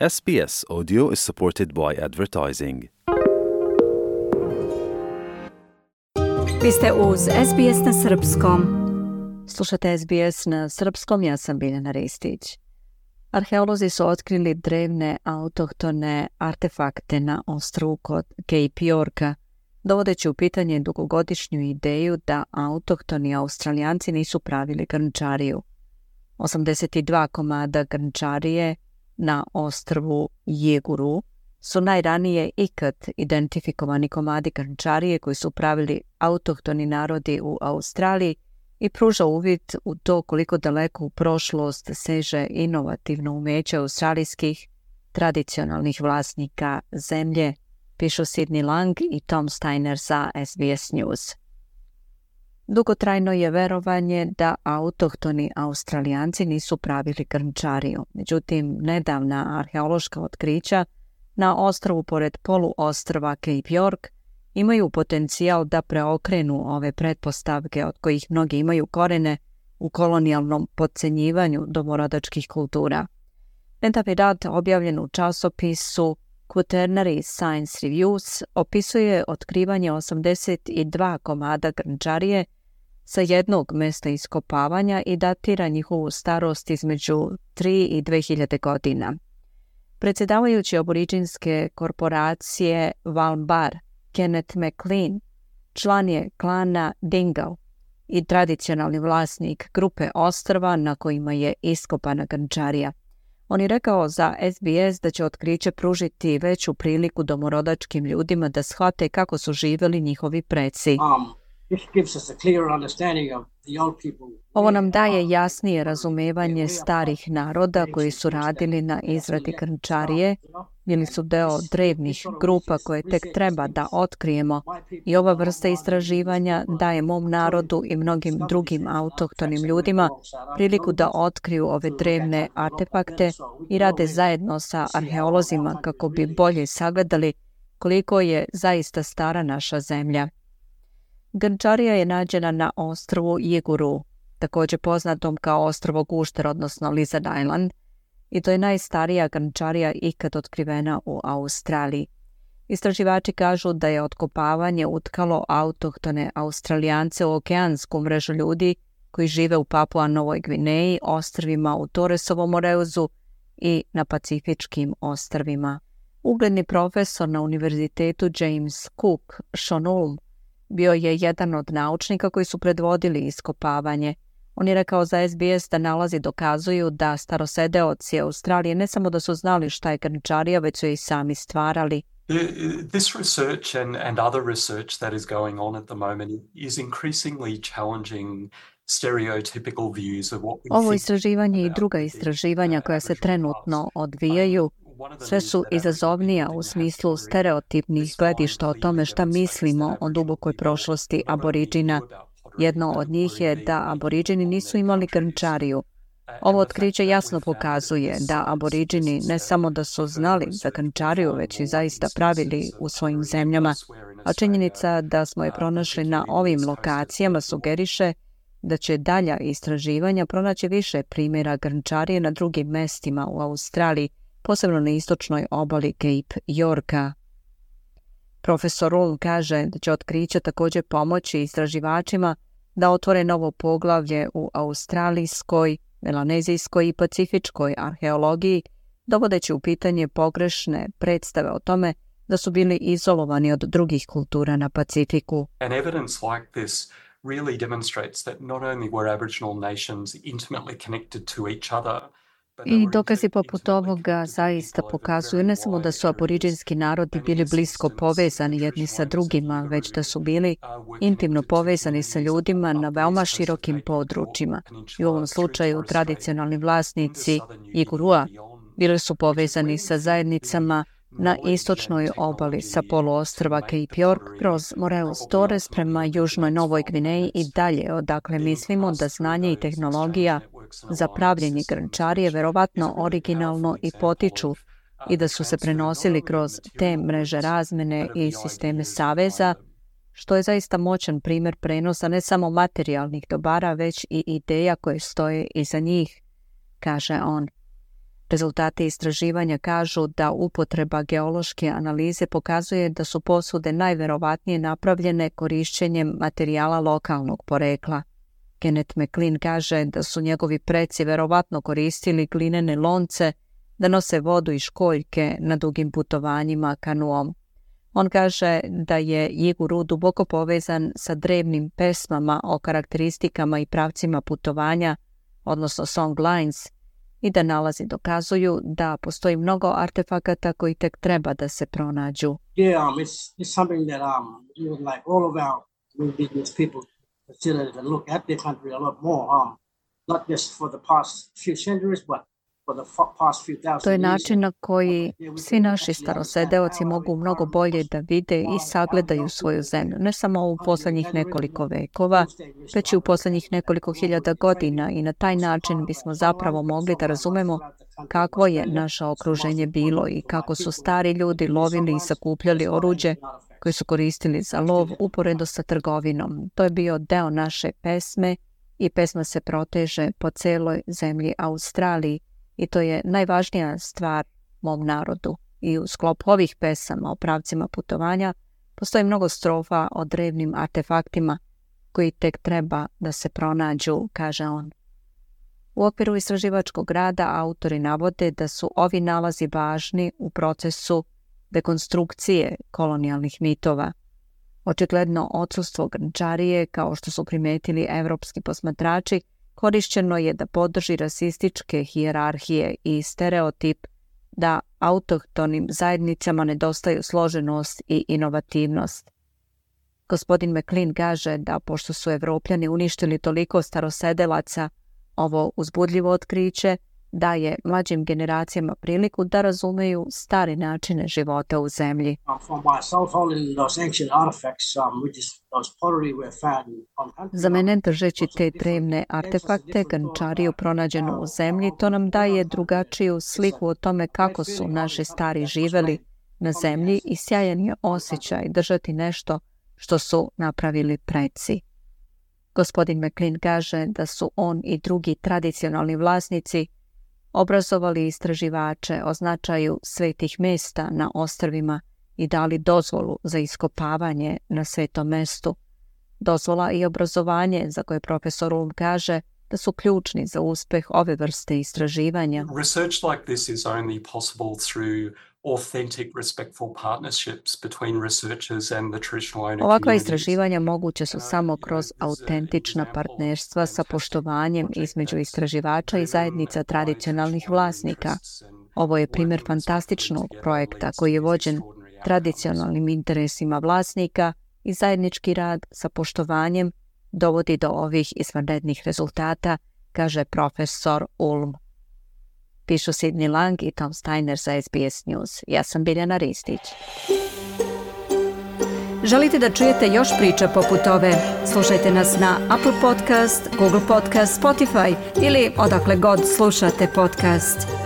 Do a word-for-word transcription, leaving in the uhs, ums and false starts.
S B S Audio is supported by advertising. Vi ste uz S B S na srpskom. Slušate S B S na srpskom, ja sam Biljana Ristić. Arheolozi su otkrili drevne autohtone artefakte na ostrvu kod Cape Yorka, dovodeći u pitanje dugogodišnju ideju da autohtoni Australijanci nisu pravili grnčariju. osamdeset dva komada grnčarije na ostrvu Jeguru su najranije ikad identifikovani komadi grnčarije koji su pravili autohtoni narodi u Australiji i pruža uvid u to koliko daleko u prošlost seže inovativno umeće australijskih tradicionalnih vlasnika zemlje, pišu Sidney Lang i Tom Steiner za S B S News. Dugotrajno je verovanje da autohtoni Australijanci nisu pravili grnčariju. Međutim, nedavna arheološka otkrića na ostrvu pored poluostrva Cape York imaju potencijal da preokrenu ove pretpostavke od kojih mnogi imaju korene u kolonijalnom potcenjivanju domorodačkih kultura. Nedavni rad objavljen u časopisu Quaternary Science Reviews opisuje otkrivanje osamdeset dva komada grnčarije sa jednog mesta iskopavanja i datira njihovu starost između tri i dve hiljade godina. Predsjedavajući aboriđinske korporacije Walmbar, Kenneth McLean, član je klana Dingo i tradicionalni vlasnik grupe ostrva na kojima je iskopana grnčarija. On je rekao za S B S da će otkriće pružiti veću priliku domorodačkim ljudima da shvate kako su živjeli njihovi preci. Ovo nam daje jasnije razumevanje starih naroda koji su radili na izradi grnčarije, bili su deo drevnih grupa koje tek treba da otkrijemo i ova vrsta istraživanja daje mom narodu i mnogim drugim autohtonim ljudima priliku da otkriju ove drevne artefakte i rade zajedno sa arheolozima kako bi bolje sagledali koliko je zaista stara naša zemlja. Grnčarija je nađena na ostrvu Jeguru, također poznatom kao ostrvo Gušter, odnosno Lizard Island, i to je najstarija grnčarija ikad otkrivena u Australiji. Istraživači kažu da je otkopavanje utkalo autohtone Australijance u okeansku mrežu ljudi koji žive u Papua Novoj Gvineji, ostrvima u Torresovom Moreuzu i na Pacifičkim ostrvima. Ugledni profesor na univerzitetu James Cook, Sean Ulm, bio je jedan od naučnika koji su predvodili iskopavanje. On je rekao za S B S da nalazi dokazuju da starosedeoci Australije ne samo da su znali šta je grnčarija, već su i sami stvarali. This research and, and other research that is going on at the moment is increasingly challenging stereotypical views of what we Ovo think istraživanje i druga istraživanja koja se trenutno odvijaju sve su izazovnija u smislu stereotipnih gledišta o tome šta mislimo o dubokoj prošlosti aboriđina. Jedno od njih je da aboriđini nisu imali grnčariju. Ovo otkriće jasno pokazuje da aboriđini ne samo da su znali za grnčariju, već i zaista pravili u svojim zemljama, a činjenica da smo je pronašli na ovim lokacijama sugeriše da će dalja istraživanja pronaći više primjera grnčarije na drugim mestima u Australiji, posebno na istočnoj obali Cape Yorka. Profesor Ulm kaže da će otkriće također pomoći istraživačima da otvore novo poglavlje u australijskoj, melanezijskoj i pacifičkoj arheologiji, dovodeći u pitanje pogrešne predstave o tome da su bili izolovani od drugih kultura na Pacifiku. And evidence like this really demonstrates that not only were Aboriginal nations intimately connected to each other, I dokazi poput ovoga zaista pokazuju ne samo da su aboriđinski narodi bili blisko povezani jedni sa drugima, već da su bili intimno povezani sa ljudima na veoma širokim područjima. I u ovom slučaju tradicionalni vlasnici Jegurua bili su povezani sa zajednicama na istočnoj obali sa poluostrva Cape York kroz Moreus Torres prema južnoj Novoj Gvineji i dalje, odakle mislimo da znanje i tehnologija za pravljenje grnčarije verovatno originalno i potiču i da su se prenosili kroz te mreže razmene i sisteme saveza, što je zaista moćan primjer prenosa ne samo materijalnih dobara, već i ideja koje stoje iza njih, kaže on. Rezultati istraživanja kažu da upotreba geološke analize pokazuje da su posude najverovatnije napravljene korišćenjem materijala lokalnog porekla. Kenneth McLean kaže da su njegovi preci verovatno koristili glinene lonce da nose vodu i školjke na dugim putovanjima kanuom. On kaže da je Jiguru duboko povezan sa drevnim pesmama o karakteristikama i pravcima putovanja, odnosno song lines, i da nalazi dokazuju da postoji mnogo artefakata koji tek treba da se pronađu. Yeah, um, it's, it's something that um, you would like all of our indigenous people consider to look at their country a lot more, um, not just for the past few centuries, but for the past few thousand years. To je način na koji svi naši starosedeoci mogu mnogo bolje da vide i sagledaju svoju zemlju, ne samo u posljednjih nekoliko vekova, već i u posljednjih nekoliko hiljada godina, i na taj način bismo zapravo mogli da razumemo kakvo je naše okruženje bilo i kako su stari ljudi lovili i sakupljali oruđe koje su koristili za lov uporedo sa trgovinom. To je bio deo naše pesme i pesma se proteže po celoj zemlji Australiji i to je najvažnija stvar mom narodu. I u sklopu ovih pesama o pravcima putovanja postoji mnogo strofa o drevnim artefaktima koji tek treba da se pronađu, kaže on. U okviru istraživačkog rada autori navode da su ovi nalazi važni u procesu dekonstrukcije kolonijalnih mitova. Očigledno odsustvo grnčarije, kao što su primetili evropski posmatrači, korišćeno je da podrži rasističke hijerarhije i stereotip da autohtonim zajednicama nedostaju složenost i inovativnost. Gospodin McLean kaže da pošto su Evropljani uništili toliko starosedelaca, ovo uzbudljivo otkriće daje mlađim generacijama priliku da razumeju stare načine života u zemlji. Za mene, držeći te drevne artefakte, grnčariju pronađenu u zemlji, to nam daje drugačiju sliku o tome kako su naši stari živeli na zemlji i sjajan je osjećaj držati nešto što su napravili preci. Gospodin McLean kaže da su on i drugi tradicionalni vlasnici obrazovali istraživače o značaju svetih mesta na ostrvima i dali dozvolu za iskopavanje na svetom mestu. Dozvola i obrazovanje, za koje profesor Ulm kaže da su ključni za uspeh ove vrste istraživanja. Research like this is only possible through authentic, respectful partnerships between researchers and the traditional owner communities. Ovakva istraživanja moguće su samo kroz autentična partnerstva sa poštovanjem između istraživača i zajednica tradicionalnih vlasnika. Ovo je primjer fantastičnog projekta koji je vođen tradicionalnim interesima vlasnika i zajednički rad sa poštovanjem dovodi do ovih izvanrednih rezultata, kaže profesor Ulm. Pišu Sidney Lang i Tom Steiner za S B S News. Ja sam Biljana Ristić. Želite da čujete još priča poput ove? Slušajte nas na Apple Podcast, Google Podcast, Spotify ili odakle god slušate podcast.